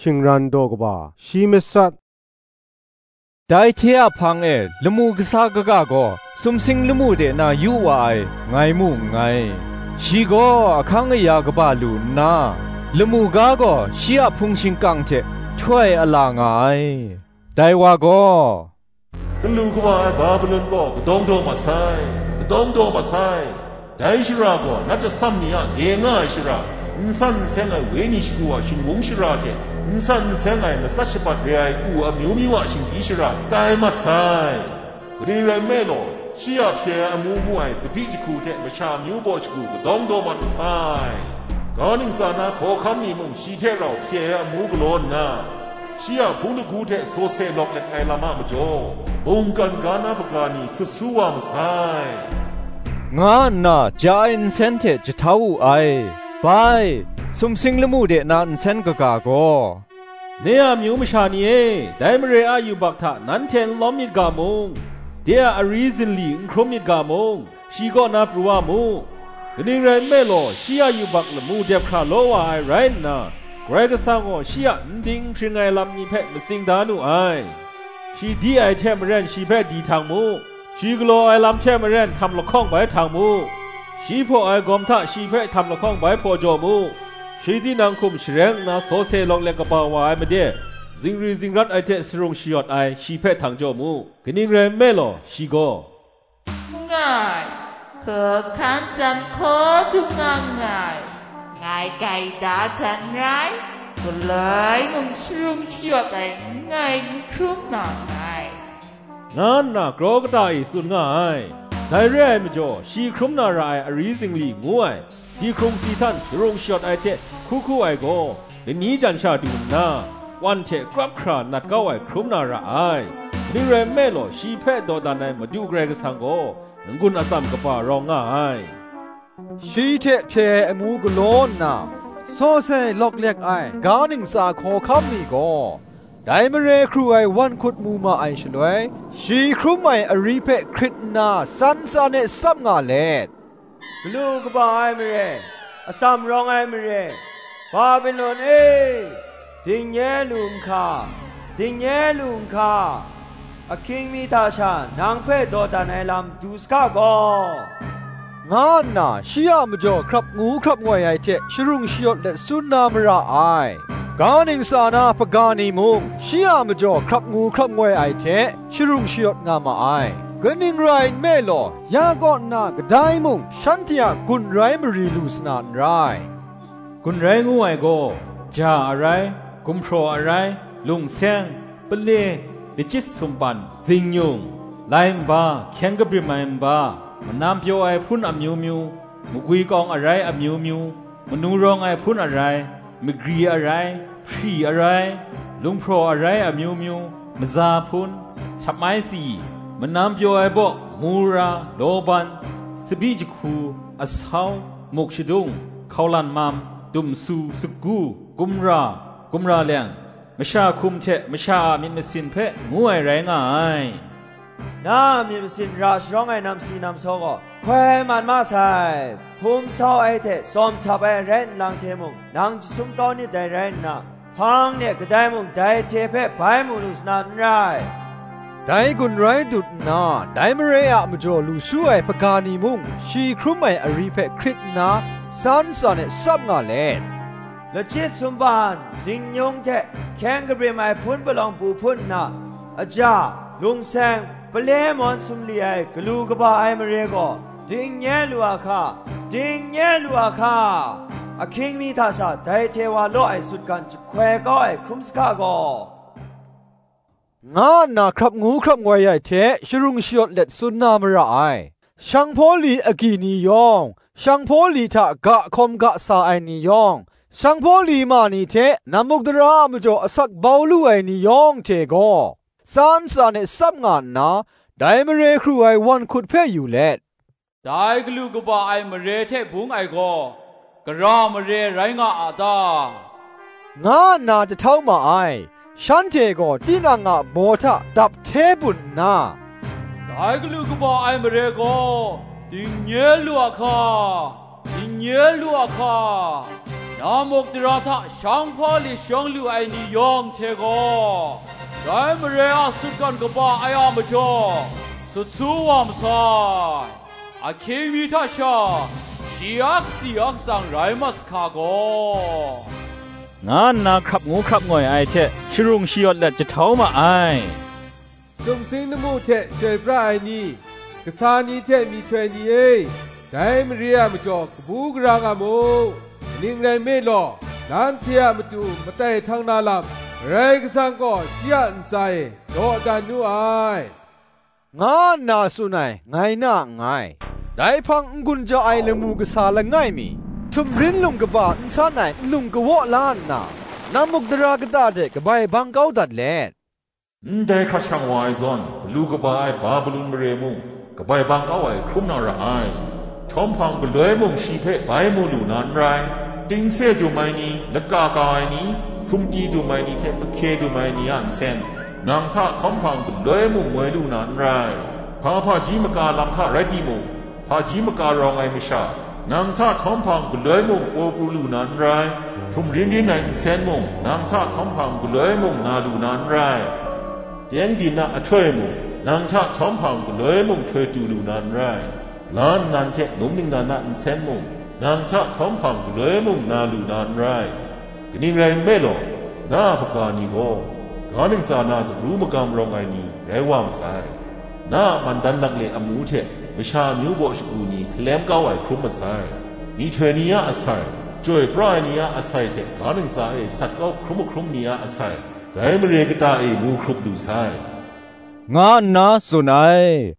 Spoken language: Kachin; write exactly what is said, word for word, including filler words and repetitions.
shingran daw kaba, shi matsat. Dai hte a hpang e lamu kasa kaga gaw sumsing lamu de na yu wa ai, ngai mu nngai. Shi gaw ahkang aya kaba lu nna, lamu ga gaw shi a hpung shingkang hte htoi ala nga ai. Dai wa gaw, "Galu kaba ai Babilon gaw kadawng daw mat sai, kadawng daw mat sai. Dai shara gaw nat atsam ni a de nga ai shara, n san n seng ai wenyi shagu a shingbung shara hte n san n seng ai matsat shabat re ai u amyu myu a shinggyim shara tai mat sai. Kaning rai nme law, shi a hpye ai amu mu ai tsabyi jahku hte masha amyu baw shagu kadawng daw mat masai. Ga ningsa na hkawhkam ni mung shi hte rau hpye ai amu galaw nna, shi a hpung lahku hte sawse lawk let ai lam a majaw, mungkan ga na hpaga ni sut su wa masai," nga nna ja ai nsen hte jahtau wu ai. Bai, sumsing lamu de na nsen kaga gaw, "Ne a amyu masha ni e, dai mare a yubak hta nanhte n lawm myit ga mung, de a ari zinli n hkrum myit ga mung, shi kaw na pru wa mu. Kaning rai nme law, shi a yubak lamu dep hkra law wa ai rai nna, Karai Kasang gaw shi a n ding n hpring ai lam ni hpe matsing da nu ai. Shi di ai hte maren shi hpe di htang mu, shi galaw ai lam hte maren htam lahkawng bai htang mu, shi hpaw ai gawm hta shi hpe htam lahkawng bai hpaw jaw mu, shi tinang hkum shareng nna sawse lawk let kaba wa ai made, zingri zingrat ai hte sarung shayawt ai shi hpe htang jaw mu. Kaning rai nme law, shi gaw," nga ai, hkawhkam jang hkaw dung nga nngai, ngai gaida jan rai, galoi mung sharung shayawt ai n rai n hkrum na nngai, nga nna kraw kata e tsun nga ai. Dai re ai majaw, shi hkrum na ra ai ari zingli ngu ai, si hkrung si htan sharung shayawt ai hte hku hku ai gaw, lani jan sha du nna, wan hte krap hkra nat kau ai hkrum na ra ai. Kaning rai nme law, shi hpe dawdan ai Madu Karai Kasang gaw n-gun atsam kaba rawng nga ai. Shi hte hpye ai amu galaw nna, sawsai lawk lek ai ga ningsa hkawhkam ni gaw, dai mare hkru ai wan hkut mu ma ai shaloi, shi hkrum ai ari hpe hkrit nna san san e tsap nga let, "Galu kaba ai mare, atsam rawng ai mare, Babilon e, ding nye lu nhka, ding nye lu nhka, ahkying mi hta sha nang hpe dawdan ai lam du saga gaw," nga nna shi a majaw hkrap ngu hkrap ngoi ai hte sharung shayawt let tsun na mara ai. Ga ningsa na hpaga ni mung shi a majaw hkrap ngu hkrap ngoi ai hte sharung shayawt nga ma ai. Kaning rai nme law, ya kaw nna kadai mung shanhte a gun rai mari lu sa na n rai. Gun rai ngu ai gaw, ja arai, gumhpraw arai, lungseng, pale, lachyit sumpan, zingnyung, lai nba, hkyeng kabrim ai nba, manam pyaw ai hpun amyu myu, magwi kawng arai amyu myu, manu rawng ai hpun arai, magri arai, hpri arai, lunghpraw arai amyu myu, maza hpun, shapmai si, manam pyaw ai baw, mura, lawban, tsabyi jahku, asau, muk shadung, hkaulan mam, dumsu, sagu, gumra, gumra leng, masha hkum hte masha a myit masin hpe ngu ai rai nga ai. Na a myit masin ra sharawng ai namsi namsaw gaw hkoi mat ma sai. Hpum sau ai hte tsawm htap ai rai nlang hte mung, nang jasum kau nit dai rai nna, hpang de kadai mung dai hte hpe bai mu lu sa na n rai. Dai gun rai dut nna, dai mare a majaw lu su ai hpaga ni mung, shi hkrum ai ari hpe hkrit nna, san san e tsap nga let, lachyit sumpan, zingnyung hte hkyeng kabrim ai hpun palawng bu hpun nna, aja, lungseng, pale mawn sumli ai galu kaba ai mare gaw, ding nye lu a hka, ding nye lu a hka, ahkying mi hta sha dai hte wa law ai sutgan jahkoi kau ai hkrum sahka gaw, nga nna hkrap ngu hkrap ngoi ai hte sharung shayawt let tsun na mara ai. Shang hpaw li agyi ni yawng, shang hpaw li hta ga hkawm ga sa ai ni yawng, shang hpaw li ma ni hte namuk dara a majaw asak bau lu ai ni yawng hte gaw, san san e tsap nga nna, dai mare hkru ai wan hkut hpe yu let, dai galu kaba ai mare hte bung ai gaw, gara mare rai nga a ta? Nga nna jahtau ma ai. Shanhte gaw tinang a baw hta dap hte bun nna, dai galu kaba ai mare gaw, ding nye lu a hka, ding nye lu a hka, Namuk dara hta shang hpa li shang lu ai ni yawng hte gaw, dai mare a sutgan kaba ai a majaw, sut su wa masai. Ahkying mi hta sha, shi a kasi a katsang rai mat sa hka gaw, nga nna hkrap ngu hkrap ngoi ai hte sharung shayawt let jahtau ma ai. Sumsing lamu hte chyoi pra ai ni, kasa ni hte myihtoi ni e, dai mare a majaw kabu gara nga mu. Kaning rai nme law, nanhte a matu matai htang na lam, Karai Kasang gaw shi a ntsa e dawdan nu ai, nga nna tsun ai, ngai na nngai. Dai hpang n-gun ja ai lamu kasa langai mi, htumrin lung kaba n san ai nlung kawaw la nna, namuk dara kata hte kabai bang kau dat let, ndai hkrat shang wa ai zawn, galu kaba ai Babilon mare mung, kabai bang kau ai hkrum na ra ai. Htawm hpang galoi mung shi hpe bai mu lu na n rai. Tingse dum ai ni, laka ka ai ni, sumti dum ai ni hte pahkye dum ai ni a nsen, nang hta htawm hpang galoi mung ngoi lu na n rai. Hpa hpaji maka lam hta rai timung, hpaji maka rawng ai masha, nang hta htawm hpang galoi mung paw pru lu na n rai. Htum rin rin ai nsen mung, nang hta htawm hpang galoi mung na lu na n rai. Pyengdin a ahtoi mung, nang hta htawm hpang galoi mung htoi tu lu na n rai. La nnan hte num ningnan a nsen mung, nang hta htawm hpang galoi mung na lu na n rai. Kaning rai nme law, na a hpaga ni gaw, ga ntsa na dabru magam rawng ai ni rai wa masai. Na a mandan lakle amu hte masha amyu baw shagu ni hkalem kau ai hkrum masai. Myihtoi ni a asai, chyoi pra ai ni a asai hte ga ntsa e sat kau hkrum ahkrum ni a asai, dai mare kata e mu hkrup lu sai, nga nna tsun ai.